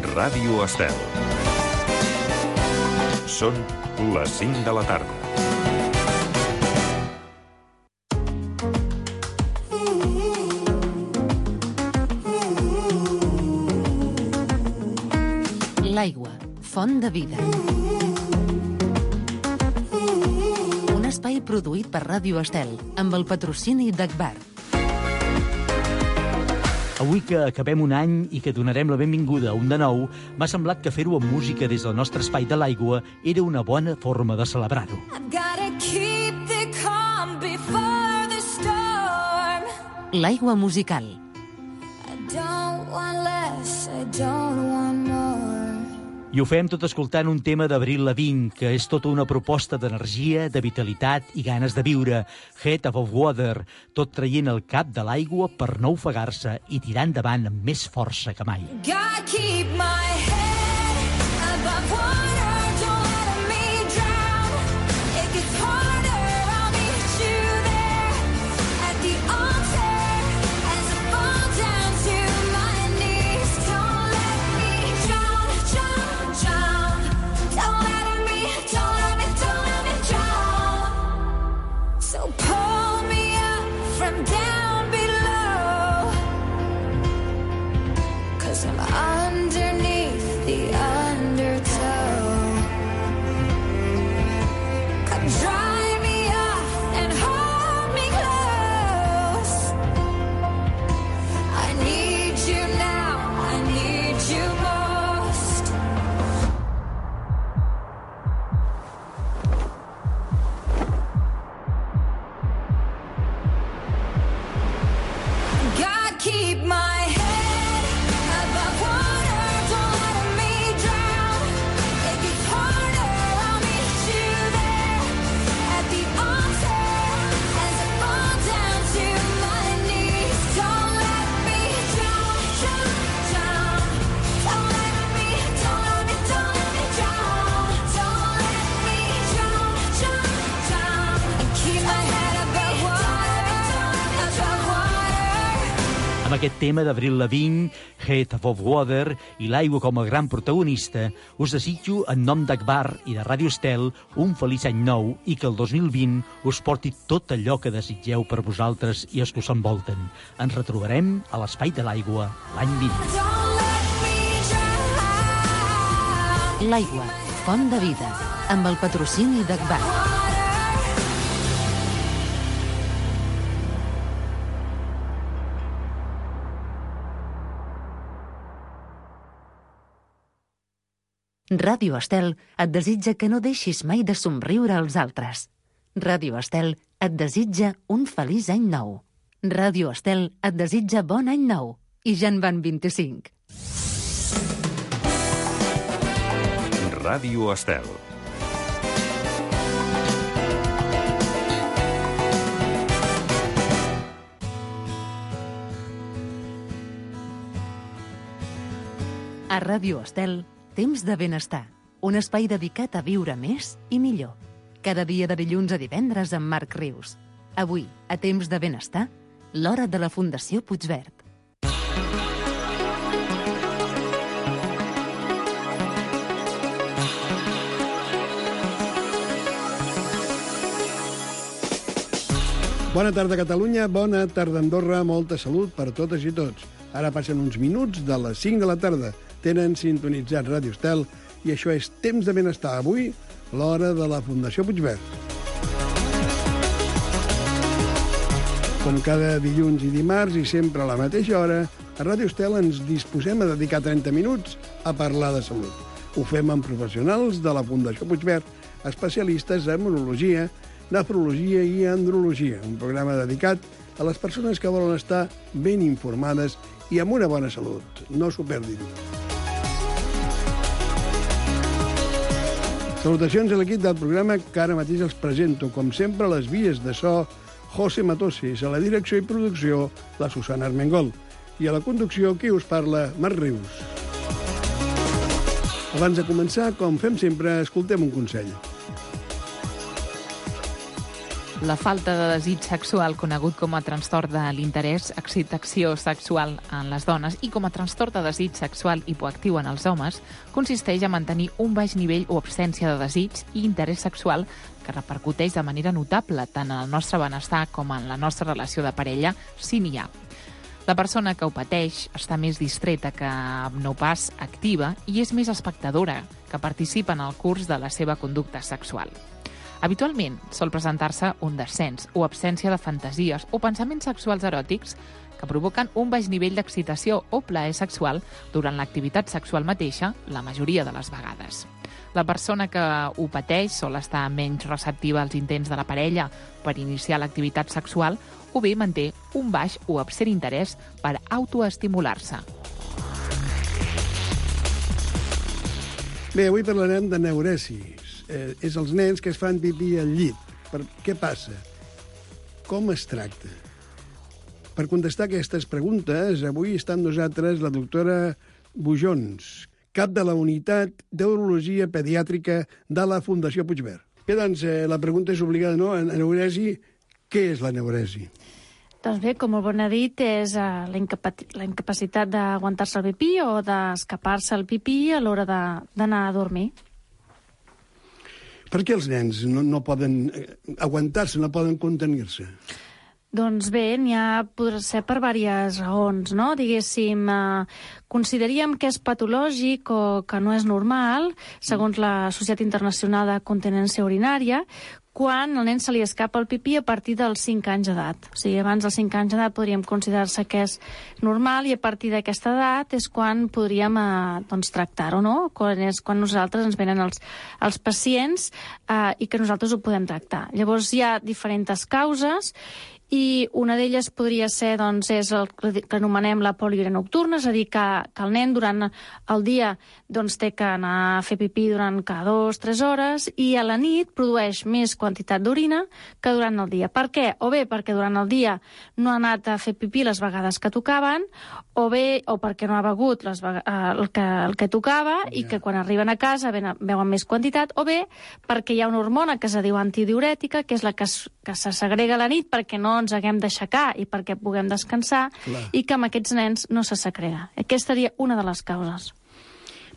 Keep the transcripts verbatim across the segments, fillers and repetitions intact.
Ràdio Estel. Són les cinc de la tarda. L'aigua, font de vida. Un espai produït per Ràdio Estel, amb el patrocini d'Agbar. Avui que acabem un any i que donarem la benvinguda a un de nou, m'ha semblat que fer-ho amb música des del nostre espai de l'aigua era una bona forma de celebrar-ho. L'aigua musical. I ho fem tot escoltant un tema d'Avril Lavigne, que és tota una proposta d'energia, de vitalitat i ganes de viure. Head above water, tot traient el cap de l'aigua per no ofegar-se i tirar endavant amb més força que mai. God keep my head above water, don't let me drown. It gets harder, I'll meet you there at the altar as I fall down to my knees. Don't let me drown, drown, drown. Don't let me, don't let me, don't let me drown. So pull me up from down below, 'cause I'm underneath the undertow. Come dry me off and hold me close. I need you now, I need you most. God keep my head above water, don't let me drown. It gets harder, I'll meet you there at the altar as I fall down to my knees. Don't let me drown, drown, drown. Don't let me, don't let me, don't let me drown. Don't let me drown, drown, drown. And keep my head above water, above water. Amb aquest tema d'Avril Lavigne, Head Above Water, i l'aigua com a gran protagonista, us desitjo, en nom d'Agbar i de Ràdio Estel, un feliç any nou i que el dos mil vint us porti tot allò que desitgeu per vosaltres i els que us envolten. Ens retrobarem a l'Espai de l'Aigua l'any vint. L'aigua, font de vida, amb el patrocini d'Agbar. Ràdio Estel et desitja que no deixis mai de somriure als altres. Ràdio Estel et desitja un feliç any nou. Ràdio Estel et desitja bon any nou. I ja en van vint-i-cinc. Ràdio Estel. A Ràdio Estel, Temps de benestar, un espai dedicat a viure més i millor. Cada dia de dilluns a divendres amb Marc Rius. Avui, a Temps de benestar, l'hora de la Fundació Puigverd. Bona tarda, Catalunya, bona tarda, Andorra, molta salut per totes i tots. Ara passen uns minuts de les cinc de la tarda. Tenen sintonitzat Ràdio Estel i això és Temps de benestar. Avui, l'hora de la Fundació Puigverd. Com cada dilluns i dimarts i sempre a la mateixa hora, a Ràdio Estel ens disposem a dedicar trenta minuts a parlar de salut. Ho fem amb professionals de la Fundació Puigverd, especialistes en immunologia, nefrologia i andrologia, un programa dedicat a les persones que volen estar ben informades i amb una bona salut. No s'ho perdin. Salutacions a l'equip del programa que ara mateix els presento. Com sempre, les vies de so, José Matossis, a la direcció i producció, la Susana Armengol. I a la conducció, qui us parla, Marc Rius. Abans de començar, com fem sempre, escoltem un consell. La falta de desig sexual, conegut com a trastorn de l'interès, excitació sexual en les dones i com a trastorn de desig sexual hipoactiu en els homes, consisteix a mantenir un baix nivell o absència de desig i interès sexual que repercuteix de manera notable tant en el nostre benestar com en la nostra relació de parella, si n'hi ha. La persona que ho pateix està més distreta que no pas activa i és més espectadora, que participa en el curs de la seva conducta sexual. Habitualment sol presentar-se un descens o absència de fantasies o pensaments sexuals eròtics que provoquen un baix nivell d'excitació o plaer sexual durant l'activitat sexual mateixa, la majoria de les vegades. La persona que ho pateix sol estar menys receptiva als intents de la parella per iniciar l'activitat sexual o bé manté un baix o absent interès per autoestimular-se. Bé, avui parlarem de neuresis. Eh, és els nens que es fan pipí al llit. Per, què passa? Com es tracta? Per contestar aquestes preguntes, avui està amb nosaltres la doctora Bujons, cap de la Unitat d'Urologia Pediàtrica de la Fundació Puigverd. Bé, doncs, eh, la pregunta és obligada, no? En neuresi, què és la neuresi? Doncs bé, com el bon ha dit, és uh, la, incapa- la incapacitat d'aguantar-se el pipí o d'escapar-se el pipí a l'hora de- d'anar a dormir. Per què els nens no, no poden eh, aguantar-se, no poden contenir-se? Doncs bé, n'hi ha, podrà ser per diverses raons, no? Diguéssim, eh, consideraríem que és patològic o que no és normal, segons la Societat Internacional de Continència Urinària, quan al nen se li escapa el pipí a partir dels cinc anys d'edat. O sigui, abans dels cinc anys d'edat podríem considerar-se que és normal i a partir d'aquesta edat és quan podríem eh, doncs, tractar-ho, no? Quan, és quan nosaltres ens venen els, els pacients eh, i que nosaltres ho podem tractar. Llavors hi ha diferents causes i una d'elles podria ser, doncs, és el que anomenem la poliúria nocturna, és a dir, que, que el nen durant el dia doncs, té que anar a fer pipí durant cada dues o tres hores i a la nit produeix més quantitat d'orina que durant el dia. Per què? O bé perquè durant el dia no ha anat a fer pipí les vegades que tocaven, o bé o perquè no ha begut les vega- el, que, el que tocava i que quan arriben a casa ven- beuen més quantitat, o bé perquè hi ha una hormona que es diu antidiurètica, que és la que, es, que se segrega a la nit perquè no ens haguem d'aixecar i perquè puguem descansar, Clar. i que amb aquests nens no se segrega. Aquesta seria una de les causes.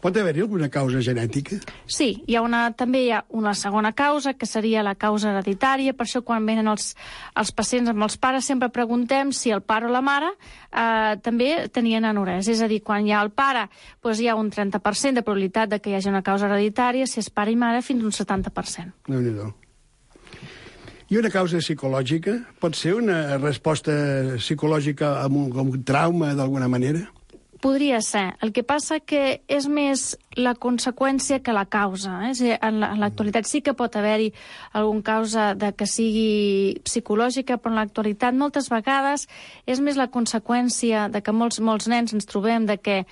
Pot haver-hi alguna causa genètica? Sí, hi ha una, també hi ha una segona causa, que seria la causa hereditària. Per això, quan venen els, els pacients amb els pares, sempre preguntem si el pare o la mare eh, també tenien anorèsia. És a dir, quan hi ha el pare, doncs hi ha un trenta per cent de probabilitat de que hi hagi una causa hereditària, si és pare i mare, fins a un setanta per cent. Déu-n'hi-do. I una causa psicològica? Pot ser una resposta psicològica amb un, amb un trauma, d'alguna manera? Podria ser. El que passa que és més la conseqüència que la causa. Eh? És a dir, en la- en l'actualitat sí que pot haver-hi algun causa de que sigui psicològica, però en l'actualitat moltes vegades és més la conseqüència de que molts, molts nens ens trobem de que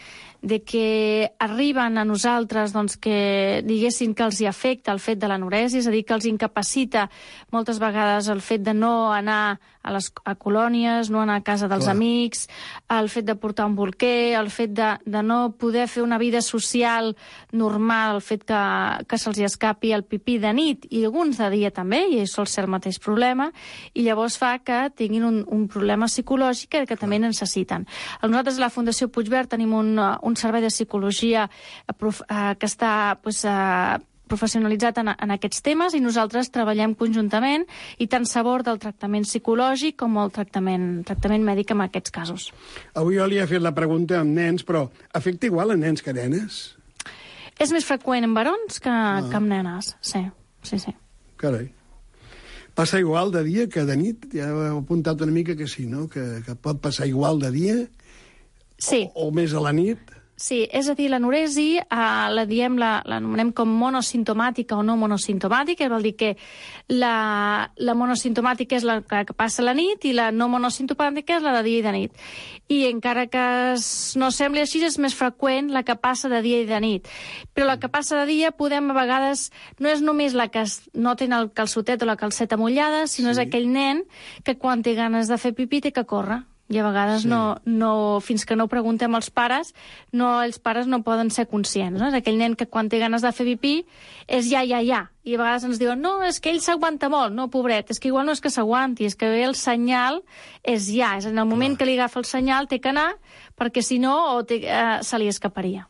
de que arriben a nosaltres doncs, que diguessin que els hi afecta el fet de l'anorèsia, és a dir, que els incapacita moltes vegades el fet de no anar a les a colònies, no anar a casa dels Clar. amics, el fet de portar un bolquer, el fet de, de no poder fer una vida social normal, el fet que, que se'ls hi escapi el pipí de nit i alguns de dia també, i sol ser el mateix problema, i llavors fa que tinguin un, un problema psicològic que també necessiten. Nosaltres a la Fundació Puigverd tenim un, un servei de psicologia eh, prof, eh, que està pues, eh, professionalitzat en, en aquests temes i nosaltres treballem conjuntament i tant s'aborda el tractament psicològic com el tractament, tractament mèdic en aquests casos. Avui jo li he fet la pregunta amb nens, però afecta igual a nens que a nenes? És més freqüent en barons que, ah. que en nenes, sí, sí, sí. Carai. Passa igual de dia que de nit? Ja heu apuntat una mica que sí, no? Que, que pot passar igual de dia? Sí. O, o més a la nit? Sí, és a dir, l'anoresi eh, la diem, la, l'anomenem com monosimptomàtica o no monosimptomàtica, vol dir que la, la monosimptomàtica és la que passa a la nit i la no monosimptomàtica és la de dia i de nit. I encara que es, no sembli així, és més freqüent la que passa de dia i de nit. Però la que passa de dia podem a vegades, no és només la que es, no té el calçotet o la calceta mullada, sinó Sí. és aquell nen que quan té ganes de fer pipí té que córrer. I a vegades Sí. no, no, fins que no ho preguntem als pares, no, els pares no poden ser conscients. No? És aquell nen que quan té ganes de fer pipí és ja, ja, ja. I a vegades ens diuen, no, és que ell s'aguanta molt. No, pobret, és que igual no és que s'aguanti, és que el senyal és ja. És en el moment que li agafa el senyal té que anar, perquè si no o té, eh, se li escaparia.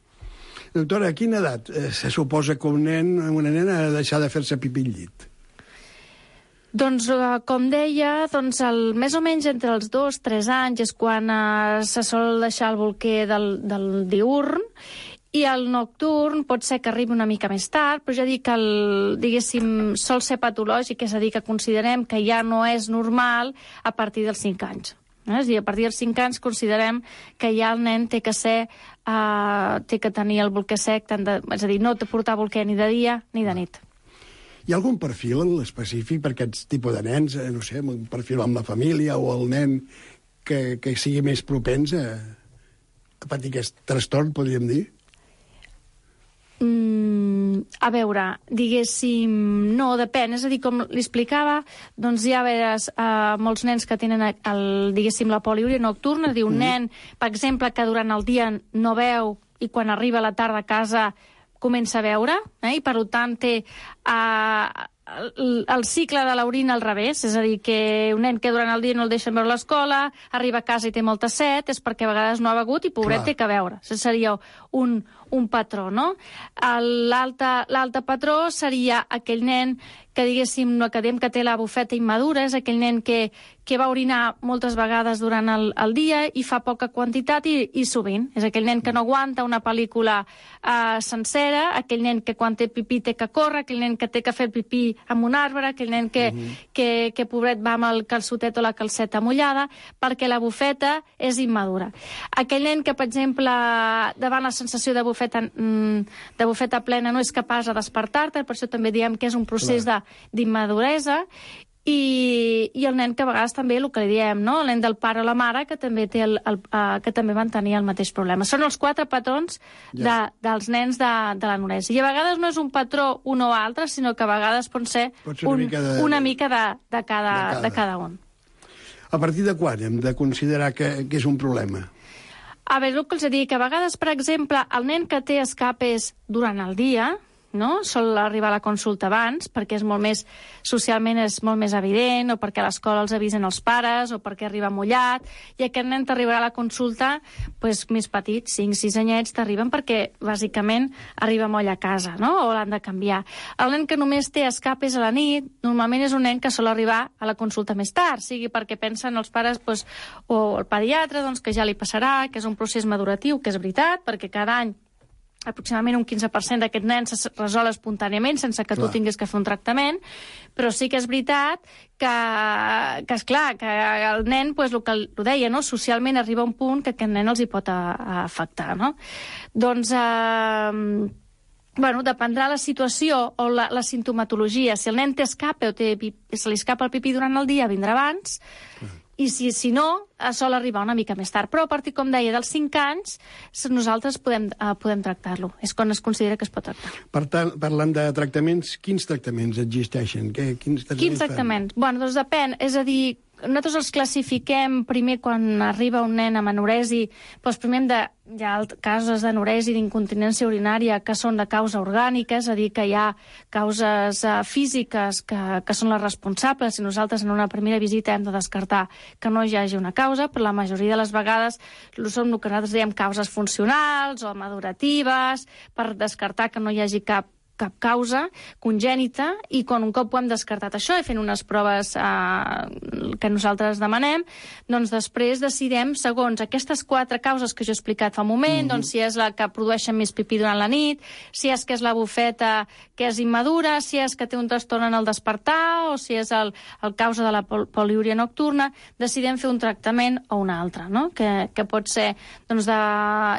Doctora, a quina edat eh, se suposa que un nen, una nena ha de deixar de fer-se pipí al llit? Doncs, eh, com deia, doncs el, més o menys entre els dos i tres anys és quan eh, se sol deixar el bolquer del, del diürn, i el nocturn pot ser que arribi una mica més tard, però ja dic que el, diguéssim, sol ser patològic, és a dir, que considerem que ja no és normal a partir dels cinc anys. Eh? És a dir, a partir dels cinc anys considerem que ja el nen té que ser, eh, té que tenir el bolquer sec, tant de, és a dir, no té portar bolquer ni de dia ni de nit. Hi ha algun perfil específic per aquests tipus de nens? Eh, no sé, un perfil amb la família o el nen que, que sigui més propens a, a patir aquest trastorn, podríem dir? Mm, a veure, diguéssim, no, depèn. És a dir, com li explicava, doncs hi ha veres, uh, molts nens que tenen el, diguéssim, la poliúria nocturna. És a dir, un mm. nen, per exemple, que durant el dia no veu i quan arriba a la tarda a casa comença a veure, eh? I per tant té uh, el, el cicle de l'orina al revés, és a dir, que un nen que durant el dia no el deixen veure a l'escola, arriba a casa i té molta set, és perquè a vegades no ha begut i pobret Clar. té que veure. Això seria un, un patró, no? L'altre patró seria aquell nen que, diguéssim, no academ que té la bufeta immadura, és aquell nen que, que va orinar moltes vegades durant el, el dia i fa poca quantitat i, i sovint. És aquell nen que no aguanta una pel·lícula uh, sencera, aquell nen que quan té pipí té que córrer, aquell nen que té que fer el pipí amb un arbre, aquell nen que, uh -huh. que, que pobret va amb el calçotet o la calceta mullada, perquè la bufeta és immadura. Aquell nen que, per exemple, davant la sensació de bufeta, de bufeta plena no és capaç de despertar-te, per això també diem que és un procés de d'immaduresa, i, i el nen que a vegades també, el que li diem, no? El nen del pare o la mare que també, té el, el, uh, que també van tenir el mateix problema. Són els quatre patrons de, Ja. dels nens de, de l'anorèsia. I a vegades no és un patró un o altre, sinó que a vegades pot ser, Pot ser una un, mica de- una mica de, de, cada, de cada. de cada un. A partir de quan hem de considerar que, que és un problema? A veure, el que els dic, que a vegades, per exemple, el nen que té escapes durant el dia, no? Sol arribar a la consulta abans, perquè és molt més, socialment és molt més evident, o perquè a l'escola els avisen els pares, o perquè arriba mullat, i aquest nen t'arribarà a la consulta pues, més petit, cinc sis anyets, t'arriben perquè, bàsicament, arriba moll a casa, no? O l'han de canviar. El nen que només té escapes a la nit, normalment és un nen que sol arribar a la consulta més tard, sigui perquè pensen els pares, pues, o el pediatre, doncs, que ja li passarà, que és un procés maduratiu, que és veritat, perquè cada any aproximadament un quinze per cent d'aquests nens es resol espontàniament sense que Clar. tu tinguis que fer un tractament, però sí que és veritat que, que esclar, que el nen, pues, el que ho deia, no? Socialment arriba un punt que aquest nen els hi pot a, a afectar, no? Doncs, eh, bueno, dependrà la situació o la, la sintomatologia. Si el nen té escape o té, se li escapa el pipí durant el dia, vindrà abans, i si, si no, sol arribar una mica més tard. Però a partir, com deia, dels cinc anys, nosaltres podem, uh, podem tractar-lo. És quan es considera que es pot tractar. Per tant, parlant de tractaments, quins tractaments existeixen? Què, quins tractaments Quins tractaments? Bueno, doncs depèn. És a dir, nosaltres els classifiquem primer quan arriba un nen amb anoresi, doncs primer hem de, hi ha casos d'anoresi, d'incontinència urinària que són de causa orgànica, és a dir, que hi ha causes uh, físiques que, que són les responsables, i nosaltres en una primera visita hem de descartar que no hi hagi una causa, però la majoria de les vegades són el que nosaltres diem causes funcionals o maduratives, per descartar que no hi hagi cap cap causa congènita, i quan un cop ho hem descartat això i fent unes proves eh, que nosaltres demanem, doncs després decidem, segons aquestes quatre causes que jo he explicat fa un moment, mm-hmm. doncs si és la que produeixen més pipí durant la nit, si és que és la bufeta que és immadura, si és que té un trastorn en el despertar, o si és el, el causa de la pol poliúria nocturna, decidem fer un tractament o un altre, no? Que, que pot ser, doncs, de,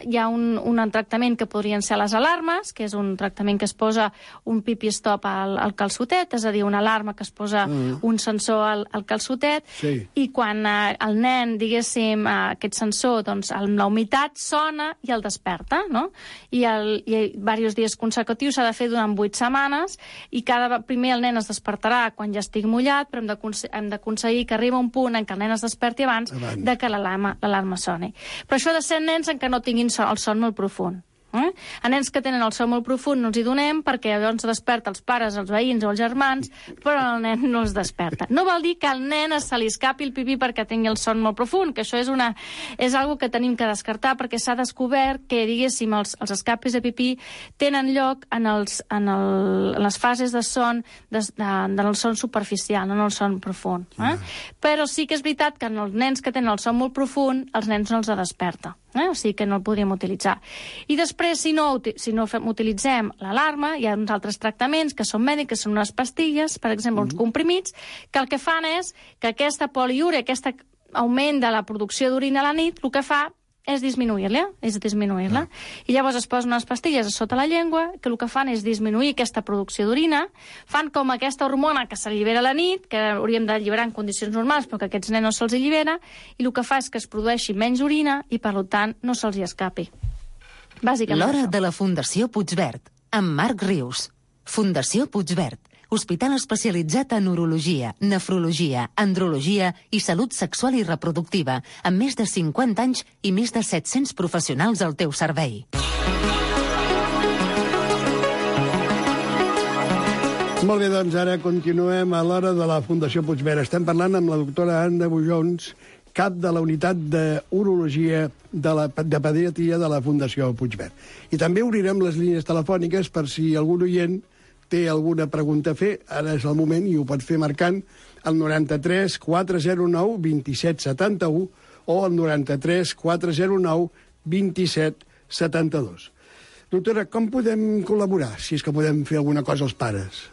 hi ha un, un tractament que podrien ser les alarmes, que és un tractament que es posa un pipi-stop al, al calçotet, és a dir, una alarma que es posa mm. un sensor al, al calçotet, sí. i quan eh, el nen, diguéssim, eh, aquest sensor, doncs, amb la humitat sona i el desperta, no? I, el, i diversos dies consecutius s'ha de fer durant vuit setmanes, i cada primer el nen es despertarà quan ja estigui mullat, però hem d'aconseguir que arribi un punt en què el nen es desperti abans, abans. de que l'alarma soni. Però això ha de ser nens en què no tinguin son, el son molt profund. Eh? A nens que tenen el son molt profund no els hi donem, perquè llavors desperta els pares, els veïns o els germans, però el nen no es desperta. No vol dir que al nen se li escapi el pipí perquè tingui el son molt profund, que això és una és algo que tenim que descartar, perquè s'ha descobert que, diguéssim, els, els escapis de pipí tenen lloc en, els, en, el, en les fases de son de, de, de el son superficial, no en el son profund. Eh? Yeah. Però sí que és veritat que en els nens que tenen el son molt profund, els nens no els desperta. Eh? O sigui que no el podríem utilitzar. I després, si no, si no fem, utilitzem l'alarma, hi ha uns altres tractaments que són mèdics, que són unes pastilles, per exemple, mm-hmm. uns comprimits, que el que fan és que aquesta poliúria, aquest augment de la producció d'orina a la nit, el que fa és disminuir-la, és disminuir-la. Mm. I llavors es posen unes pastilles a sota la llengua que el que fan és disminuir aquesta producció d'orina, fan com aquesta hormona que s'allibera a la nit, que hauríem d'alliberar en condicions normals, però que a aquests nens no se'ls allibera, i el que fa és que es produeixi menys orina i, per tant, no se'ls hi escapi. Bàsicament L'hora això. de la Fundació Puigverd, amb Marc Rius. Fundació Puigverd, hospital especialitzat en urologia, nefrologia, andrologia i salut sexual i reproductiva, amb més de cinquanta anys i més de set-cents professionals al teu servei. Molt bé, doncs ara continuem a l'hora de la Fundació Puigverd. Estem parlant amb la doctora Anna Bujons, cap de la unitat d'urologia de, la, de pediatria de la Fundació Puigverd. I també obrirem les línies telefòniques per si algun oient té alguna pregunta a fer. Ara és el moment i ho pot fer marcant el noranta-tres quatre zero nou vint set setanta-u o el noranta-tres quatre zero nou vint set setanta-dos. Doctora, com podem col·laborar, si és que podem fer alguna cosa als pares?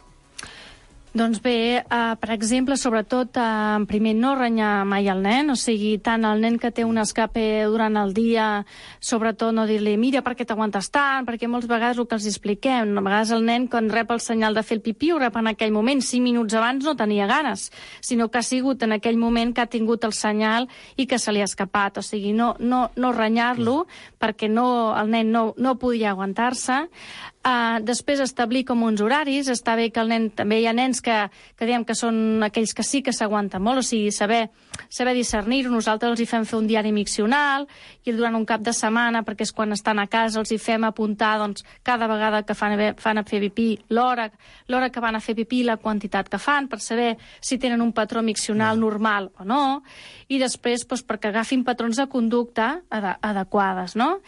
Doncs bé, eh, per exemple, sobretot, eh, primer, no renyar mai el nen, o sigui, tant el nen que té un escape durant el dia, sobretot no dir-li, mira, per què t'aguantes tant, perquè moltes vegades el que els expliquem, a vegades el nen, quan rep el senyal de fer el pipí, ho rep en aquell moment, cinc minuts abans no tenia ganes, sinó que ha sigut en aquell moment que ha tingut el senyal i que se li ha escapat, o sigui, no, no, no renyar-lo, perquè no, el nen no, no podia aguantar-se. Uh, després establir com uns horaris, està bé que el nen, també hi ha nens que, que diem que són aquells que sí que s'aguanten molt, o sigui, saber, saber discernir-ho. Nosaltres els hi fem fer un diari miccional i durant un cap de setmana, perquè és quan estan a casa, els hi fem apuntar, doncs, cada vegada que fan, fan a fer pipí, l'hora l'hora que van a fer pipí, la quantitat que fan, per saber si tenen un patró miccional no. normal o no, i després, doncs, perquè agafin patrons de conducta ad adequades, no?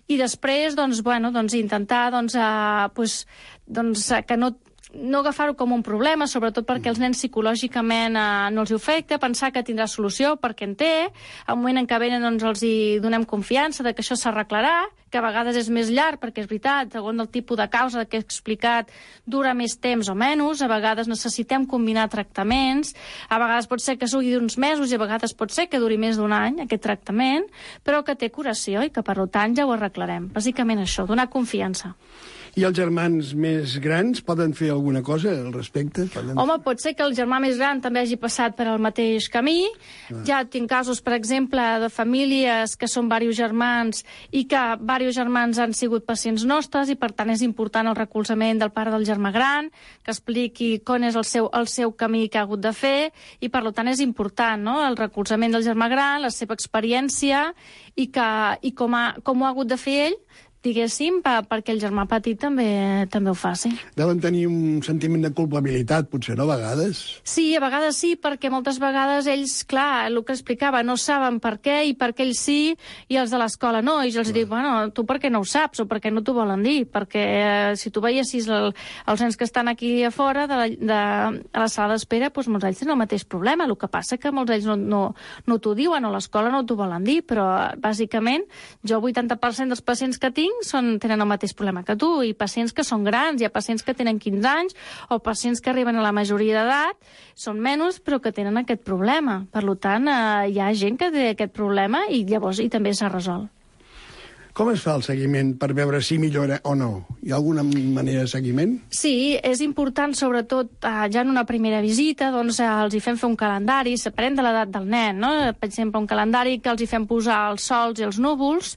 I després, doncs, bueno, doncs, intentar, doncs, a Pues, doncs, que no, no agafar-ho com un problema, sobretot perquè els nens psicològicament eh, no els afecta, pensar que tindrà solució perquè en té, al moment en què venen doncs, els hi donem confiança de que això s'arreglarà, que a vegades és més llarg, perquè és veritat, segons el tipus de causa que he explicat, dura més temps o menys, a vegades necessitem combinar tractaments, a vegades pot ser que sigui d'uns mesos i a vegades pot ser que duri més d'un any, aquest tractament, però que té curació i que, per tant, ja ho arreglarem. Bàsicament això, donar confiança. I els germans més grans poden fer alguna cosa al respecte? Poden... Home, pot ser que el germà més gran també hagi passat per al mateix camí. Ah. Ja tinc casos, per exemple, de famílies que són diversos germans i que diversos germans han sigut pacients nostres i, per tant, és important el recolzament del pare del germà gran, que expliqui com és el seu, el seu camí que ha hagut de fer i, per tant, és important, no?, el recolzament del germà gran, la seva experiència i, que, i com, ha, com ho ha hagut de fer ell, diguéssim, pa, perquè el germà petit també també ho faci. Deuen tenir un sentiment de culpabilitat, potser, no, a vegades? Sí, a vegades sí, perquè moltes vegades ells, clar, el que explicava, no saben per què, i per què ells sí, i els de l'escola no, i jo els clar. dic, bueno, tu per què no ho saps, o per què no t'ho volen dir? Perquè eh, si tu veiessis el, els nens que estan aquí a fora, de la, de, a la sala d'espera, doncs molts d'ells tenen el mateix problema, el que passa que molts d'ells no, no, no t'ho diuen, o a l'escola no t'ho volen dir, però, bàsicament, jo el vuitanta per cent dels pacients que tinc Són, tenen el mateix problema que tu, i pacients que són grans, hi ha pacients que tenen quinze anys o pacients que arriben a la majoria d'edat, són menys però que tenen aquest problema. Per tant, eh, hi ha gent que té aquest problema i llavors i també s'ha resolt. Com es fa el seguiment per veure si millora o no? Hi ha alguna manera de seguiment? Sí, és important, sobretot, eh, ja en una primera visita, doncs eh, els hi fem fer un calendari, separem de l'edat del nen, no? Per exemple, un calendari que els hi fem posar els sols i els núvols,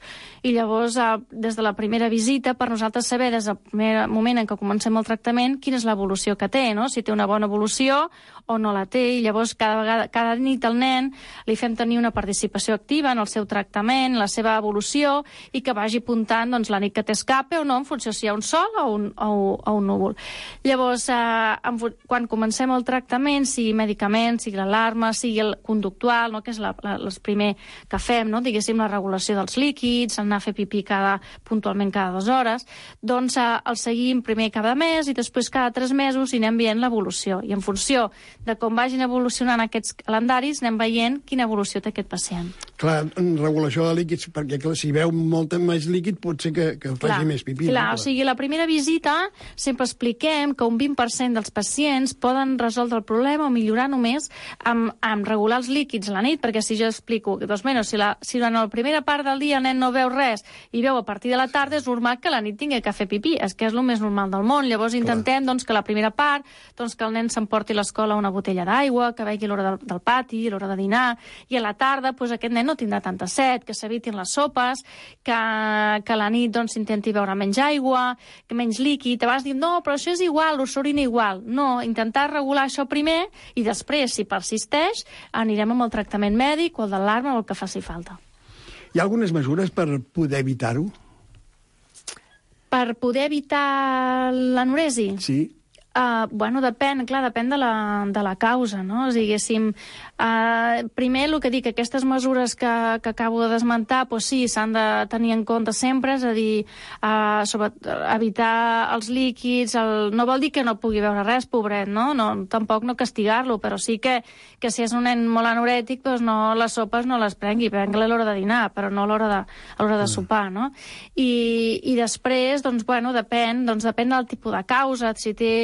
i llavors, eh, des de la primera visita, per nosaltres saber des del primer moment en què comencem el tractament quina és l'evolució que té, no? Si té una bona evolució o no la té, i llavors cada vegada, cada nit al nen li fem tenir una participació activa en el seu tractament, la seva evolució, i que vagi apuntant doncs, la nit que té escape o no, en funció si hi ha un sol o un, o, o un núvol. Llavors, eh, en, quan comencem el tractament, sigui medicament, sigui l'alarma, sigui el conductual, no? Que és la, la, el primer que fem, no? Diguéssim, la regulació dels líquids, anar a fer pipí cada, puntualment cada dues hores, doncs eh, el seguim primer cada mes i després cada tres mesos i anem veient l'evolució. I en funció de com vagin evolucionant aquests calendaris, anem veient quina evolució té aquest pacient. Clar, en regulació de líquids, perquè clar, si veu molt més líquid pot ser que, que faci Clar, més pipí. clar, no? o sigui, la primera visita sempre expliquem que un vint per cent dels pacients poden resoldre el problema o millorar només amb, amb regular els líquids a la nit, perquè si jo explico, doncs, bueno, si, la, si durant la primera part del dia el nen no veu res i veu a partir de la tarda, és normal que a la nit tingui que fer pipí, és que és el més normal del món. Llavors intentem doncs, que la primera part, doncs, que el nen s'emporti a l'escola una botella d'aigua, que vegi l'hora del, del pati, l'hora de dinar, i a la tarda doncs, aquest nen no tindrà tanta set, que s'evitin les sopes, que, que a la nit doncs, intenti beure menys aigua, que menys líquid. Abans dic, no, però això és igual, l'orina igual. No, intentar regular això primer i després, si persisteix, anirem amb el tractament mèdic o el d'alarma o el que faci falta. Hi ha algunes mesures per poder evitar-ho? Per poder evitar l'anoresi? Sí. Uh, bueno, depèn, clar, depèn de la, de la causa, no? O sigui, diguéssim, uh, primer el que dic, aquestes mesures que, que acabo de desmentar, doncs sí, s'han de tenir en compte sempre, és a dir, uh, sobre, evitar els líquids, el, no vol dir que no pugui veure res, pobret, no? no tampoc no castigar-lo, però sí que, que si és un nen molt anorètic, doncs no, les sopes no les prengui, prengui a l'hora de dinar, però no a l'hora de, a l'hora de sopar, no? I, i després, doncs, bueno, depèn, doncs depèn del tipus de causa, si té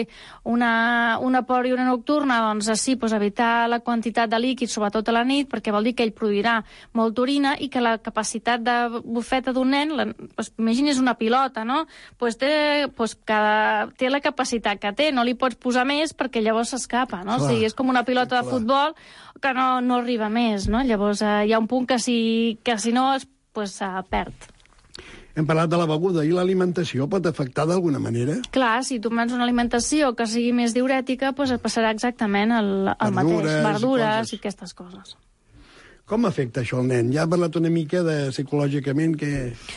una, una poliúria nocturna, doncs sí, doncs evitar la quantitat de líquid, sobretot a la nit, perquè vol dir que ell produirà molta orina i que la capacitat de bufeta d'un nen, la, doncs, imagines una pilota, no? Pues té, pues cada, té la capacitat que té, no li pots posar més perquè llavors s'escapa, no? Clar, o sigui, és com una pilota clar. de futbol que no, no arriba més, no? Llavors eh, hi ha un punt que si, que si no es pues, eh, perd. Hem parlat de la beguda i l'alimentació pot afectar d'alguna manera? Clar, si tu mans una alimentació que sigui més diurètica, doncs et passarà exactament el, el Verdures, mateix. Verdures coses. i aquestes coses. Com afecta això al nen? Ja ha parlat una mica de psicològicament que...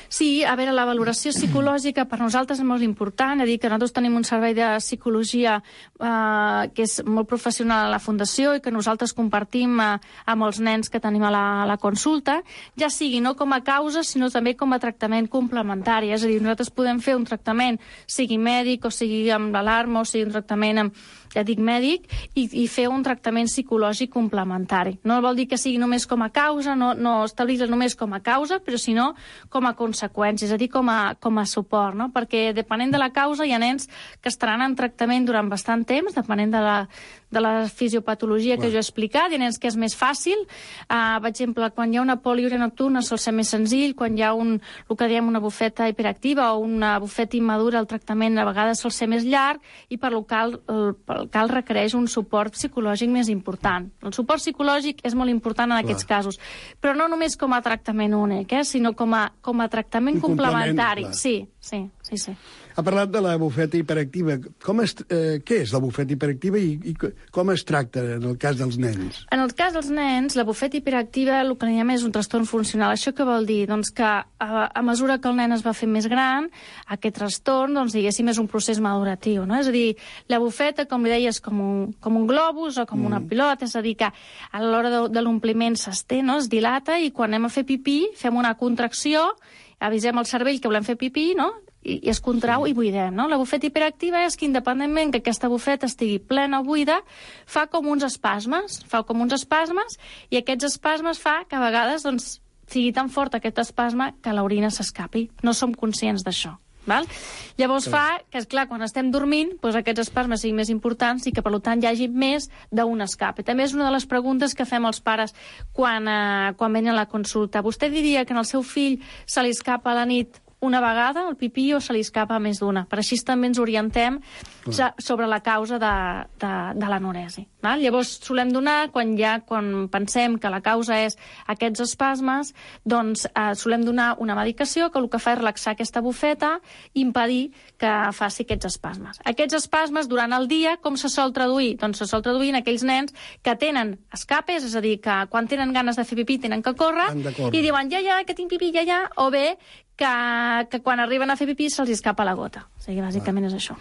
Sí, a veure, la valoració psicològica per nosaltres és molt important. És a dir, que nosaltres tenim un servei de psicologia eh, que és molt professional a la Fundació i que nosaltres compartim eh, amb els nens que tenim a la, a la consulta, ja sigui no com a causa, sinó també com a tractament complementari. És a dir, nosaltres podem fer un tractament, sigui mèdic o sigui amb l'alarma o sigui un tractament amb ja dic mèdic, i, i fer un tractament psicològic complementari. No vol dir que sigui només com a causa, no, no establir-la només com a causa, però sinó com a conseqüència, és a dir, com a, com a suport, no? Perquè depenent de la causa hi ha nens que estaran en tractament durant bastant temps, depenent de la, de la fisiopatologia que jo he explicat, hi ha nens que és més fàcil. Uh, per exemple, quan hi ha una poliúria nocturna sol ser més senzill, quan hi ha un, el que diem una bufeta hiperactiva o una bufeta immadura, el tractament a vegades sol ser més llarg i per lo cal, el, el cal requereix un suport psicològic més important. El suport psicològic és molt important en Clar. aquests casos, però no només com a tractament únic, eh, sinó com a, com a tractament un complementari. Sí, sí, sí, sí. Ha parlat de la bufeta hiperactiva. Com es, eh, què és la bufeta hiperactiva i, i com es tracta en el cas dels nens? En el cas dels nens, la bufeta hiperactiva el que diem és un trastorn funcional. Això què vol dir? Doncs que a, a mesura que el nen es va fer més gran, aquest trastorn, doncs, diguéssim, és un procés maduratiu, no? És a dir, la bufeta, com li deia, és com un, com un globus o com mm. una pilota, és a dir, que a l'hora de, de l'ompliment s'estén, no? Es dilata, i quan anem a fer pipí fem una contracció, avisem al cervell que volem fer pipí, no? I, i es contrau sí. i buidem, no? La bufeta hiperactiva és que, independentment que aquesta bufeta estigui plena o buida, fa com uns espasmes, fa com uns espasmes, i aquests espasmes fa que a vegades doncs, sigui tan fort aquest espasme que l'orina s'escapi. No som conscients d'això. Val? Llavors fa que, esclar, quan estem dormint, doncs aquests espasmes siguin més importants i que, per tant, hi hagi més d'un escape. També és una de les preguntes que fem als pares quan, eh, quan venen a la consulta. Vostè diria que en el seu fill se li escapa a la nit una vegada el pipí o se li escapa més d'una? Per així també ens orientem sobre la causa de, de, de l'anoresi. Llavors solem donar, quan ja quan pensem que la causa és aquests espasmes, doncs eh, solem donar una medicació que el que fa és relaxar aquesta bufeta i impedir que faci aquests espasmes. Aquests espasmes durant el dia, com se sol traduir? Doncs se sol traduir en aquells nens que tenen escapes, és a dir, que quan tenen ganes de fer pipí tenen que córrer, córrer. I diuen, ja, ja, que tinc pipí, ja, ja, o bé que, que quan arriben a fer pipí se'ls escapa la gota. O sigui, bàsicament ah. és això.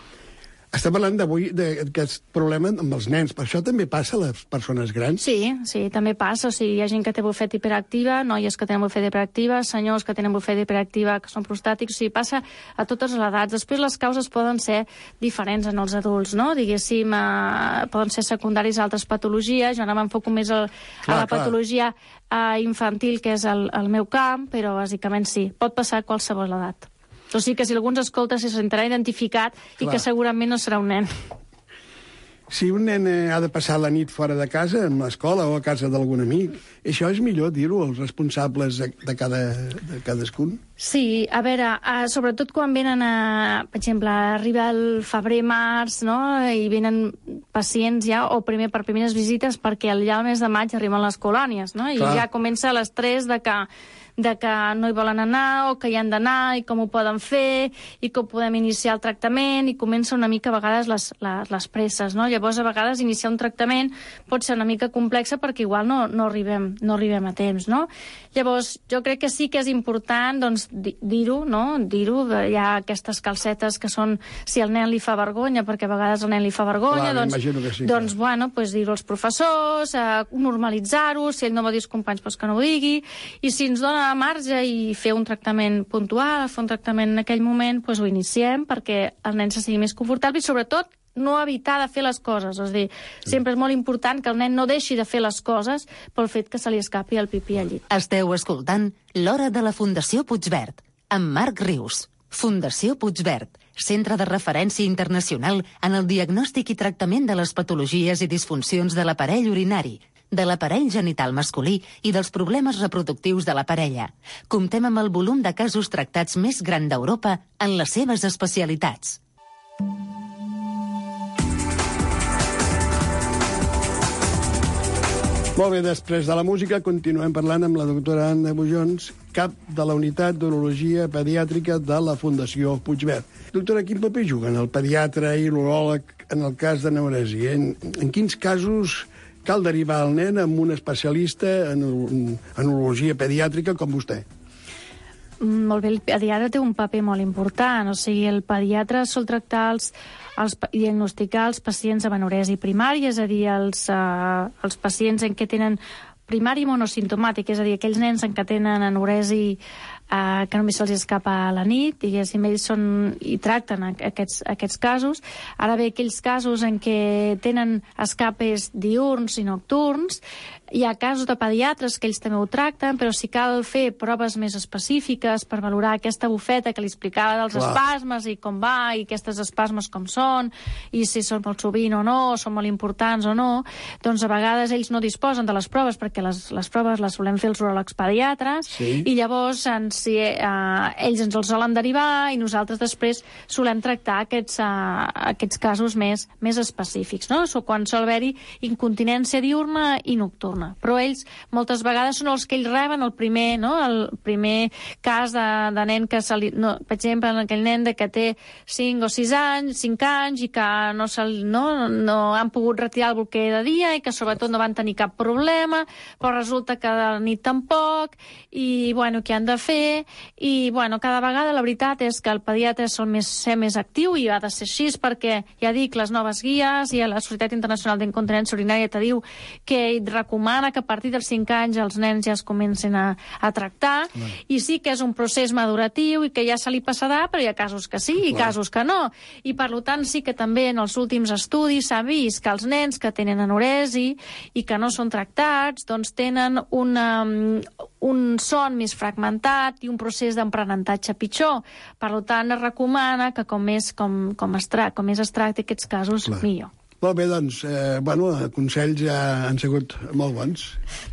Està parlant d'avui d'aquest problema amb els nens, però això també passa a les persones grans? Sí, sí, també passa. O sigui, hi ha gent que té bufeta hiperactiva, noies que tenen bufeta hiperactiva, senyors que tenen bufeta hiperactiva que són prostàtics, o sigui, passa a totes les edats. Després les causes poden ser diferents en els adults, no? Diguéssim, eh, poden ser secundaris a altres patologies. Jo ara m'enfoco més a, a clar, la patologia eh, infantil, que és el, el meu camp, però bàsicament sí, pot passar a qualsevol edat. O sigui que si algú ens escolta se sentirà identificat Clar. I que segurament no serà un nen. Si un nen ha de passar la nit fora de casa, en l'escola o a casa d'algun amic, això és millor dir-ho als responsables de, cada, de cadascun? Sí, a veure, uh, sobretot quan venen a, per exemple, arriba el febrer-març, no?, i venen pacients ja, o primer per primeres visites, perquè ja al mes de maig arriben les colònies, no?, i Clar. Ja comença l'estrès de que de que no hi volen anar o que hi han d'anar i com ho poden fer i com podem iniciar el tractament i comença una mica a vegades les, les, les presses, no? Llavors a vegades iniciar un tractament pot ser una mica complexa perquè igual no, no, arribem, no arribem a temps, no? Llavors jo crec que sí que és important doncs, dir-ho, no? Dir-ho, hi ha aquestes calcetes que són si el nen li fa vergonya, perquè a vegades el nen li fa vergonya, Clar, doncs, sí, doncs bueno, pues, dir-ho als professors, eh, normalitzar-ho, si ell no va dir als companys pues, que no ho digui, i si ens dona marge i fer un tractament puntual, fer un tractament en aquell moment, doncs ho iniciem perquè el nen se sigui més confortable i sobretot no evitar de fer les coses. És a dir, sempre és molt important que el nen no deixi de fer les coses pel fet que se li escapi el pipí al llit. Esteu escoltant L'Hora de la Fundació Puigverd, amb Marc Rius. Fundació Puigverd, centre de referència internacional en el diagnòstic i tractament de les patologies i disfuncions de l'aparell urinari, de l'aparell genital masculí i dels problemes reproductius de la parella. Comptem amb el volum de casos tractats més gran d'Europa en les seves especialitats. Molt bé, després de la música continuem parlant amb la doctora Anna Bujons, cap de la Unitat d'Urologia Pediàtrica de la Fundació Puigverd. Doctora, quin paper juguen el pediatre i l'uròleg en el cas d'anoresi? En, en quins casos cal derivar el nen amb un especialista en, en urologia pediàtrica com vostè? Molt bé, el pediatre té un paper molt important. O sigui, el pediatre sol tractar els, els diagnosticar els pacients amb anoresi primària, és a dir, els, uh, els pacients en què tenen primari monosimptomàtic, és a dir, aquells nens en què tenen anoresi Uh, que només se'ls escapa a la nit, diguéssim, ells són, i tracten aquests, aquests casos. Ara bé, aquells casos en què tenen escapes diürns i nocturns, hi ha casos de pediatres que ells també ho tracten, però si cal fer proves més específiques per valorar aquesta bufeta que li explicava dels Clar. espasmes i com va, i aquestes espasmes com són, i si són molt sovint o no, són molt importants o no, doncs a vegades ells no disposen de les proves, perquè les, les proves les solem fer els uròlegs pediatres, sí. i llavors ens si, eh, ells ens els solen derivar i nosaltres després solem tractar aquests, eh, aquests casos més, més específics, no? So, quan sol haver-hi incontinència diurna i nocturna. Però ells moltes vegades són els que ells reben el primer, no? El primer cas de, de nen que se li, no, per exemple, aquell nen de que té cinc o sis anys, cinc anys i que no, se, no, no han pogut retirar el bolquer de dia i que sobretot no van tenir cap problema, però resulta que de la nit tampoc i, bueno, què han de fer? I, bueno, cada vegada la veritat és que el pediatre sol més, ser més actiu i ha de ser així perquè, ja dic, les noves guies i la Societat Internacional d'Incontinència Urinària te diu que recomana que a partir dels cinc anys els nens ja es comencin a, a tractar Clar. I sí que és un procés maduratiu i que ja se li passarà, però hi ha casos que sí i Clar. Casos que no. I per tant sí que també en els últims estudis s'ha vist que els nens que tenen anoresi i que no són tractats doncs tenen una, un son més fragmentat i un procés d'aprenentatge pitjor. Per tant, es recomana que com més, com, com es, tra com més es tracti aquests casos, Clar. millor. Molt bé, doncs, eh, bueno, consells ja han sigut molt bons.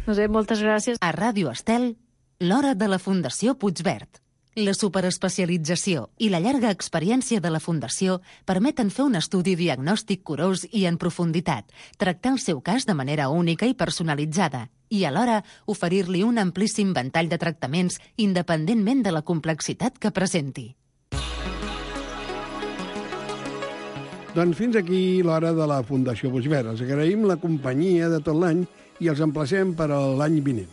No sé, moltes gràcies. A Ràdio Estel, l'hora de la Fundació Puigverd. La superespecialització i la llarga experiència de la Fundació permeten fer un estudi diagnòstic curós i en profunditat, tractar el seu cas de manera única i personalitzada i, alhora, oferir-li un amplíssim ventall de tractaments independentment de la complexitat que presenti. Doncs fins aquí l'hora de la Fundació Puigverd. Els agraïm la companyia de tot l'any i els emplacem per a l'any vinent.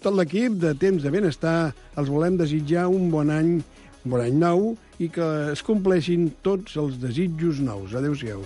Tot l'equip de Temps de Benestar els volem desitjar un bon any, un bon any nou i que es compleixin tots els desitjos nous. Adéu-siau.